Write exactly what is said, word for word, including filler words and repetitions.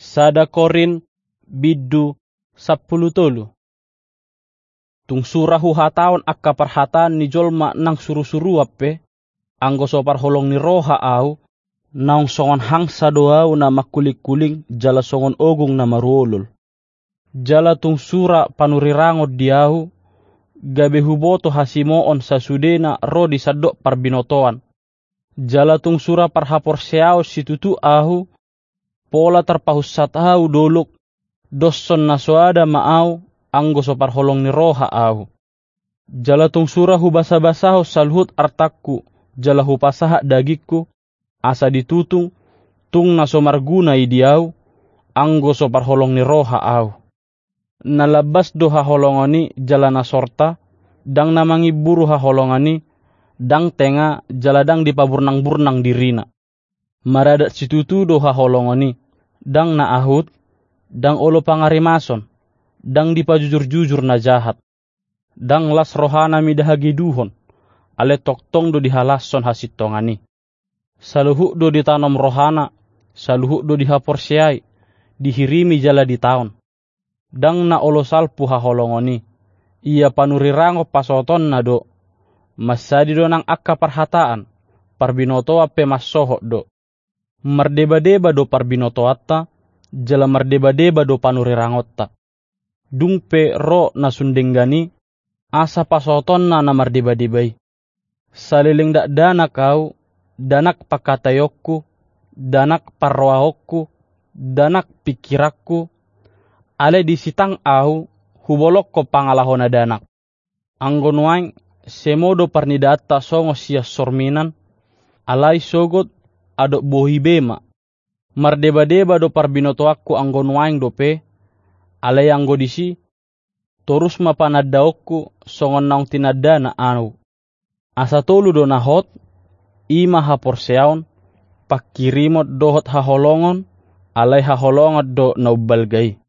Sada Korint bindu sampulu tolu. Tung sura huhatahon angka parhataan ni jolma nang surusuruan pe, anggo so parholong ni roha ahu, naung songon hangsa do ahu na mangkulingkuling jala songon ogung na maruolol. Jala tung sura panurirangon di ahu, gabe huboto hasimoon sasudena ro di sandok parbinotoan. Jala tung sura parhaporseaon situtu ahu, pola tarpahunsat ahu dolok, doshon na so ada ma ahu, anggo so parholong ni roha ahu. Jala tung sura hubasabasahon saluhut artangku, jala hupasahat dagingku, asa ditutung, tung na so marguna i di ahu, anggo so parholong ni roha ahu. Na lambas do haholongon i jala na sorta, ndang na mangimburu haholongon i, ndang tenga jala ndang dipaburnangburnang dirina. Maradat situtu do haholongon i, ndang na ahut, ndang olo pangarimason, ndang dipajujurjujur na jahat. Ndang las rohana mida hageduhon, alai tongtong do dihalashon hasintongan i. Saluhut do ditanom rohana, saluhut do dihaporseai, dihirimi jala ditaon. Ndang na olo salpu haholongon i, ia panurirangon pasohotonna do. Mansadi do nang angka parhataan, parbinotoan pe mansohot do. Mardebadeba do parbinotoanta, jala mardebadeba do panurirangonta. Dung pe ro na sun denggan i, asa pasohotonna na mardebadeba i. Saleleng dakdanak ahu, danak pangkataionku, danak parrohaonku, danak pingkiranku, alai disitang ahu, hubolongkon pangalaho na danak. Anggo nuaeng, semo do parnidaanta songon sian sorminan, alai sogot, adop bohi be ma. Mardebadeba do parbinotoanku anggo nuaeng dope, alai anggo disi, torus ma panandaonku songon naung tinandana ahu. Asa tolu do na hot, i ma haporseaon, pangkirimon dohot haholongon, alai haholongon do na umbalga i.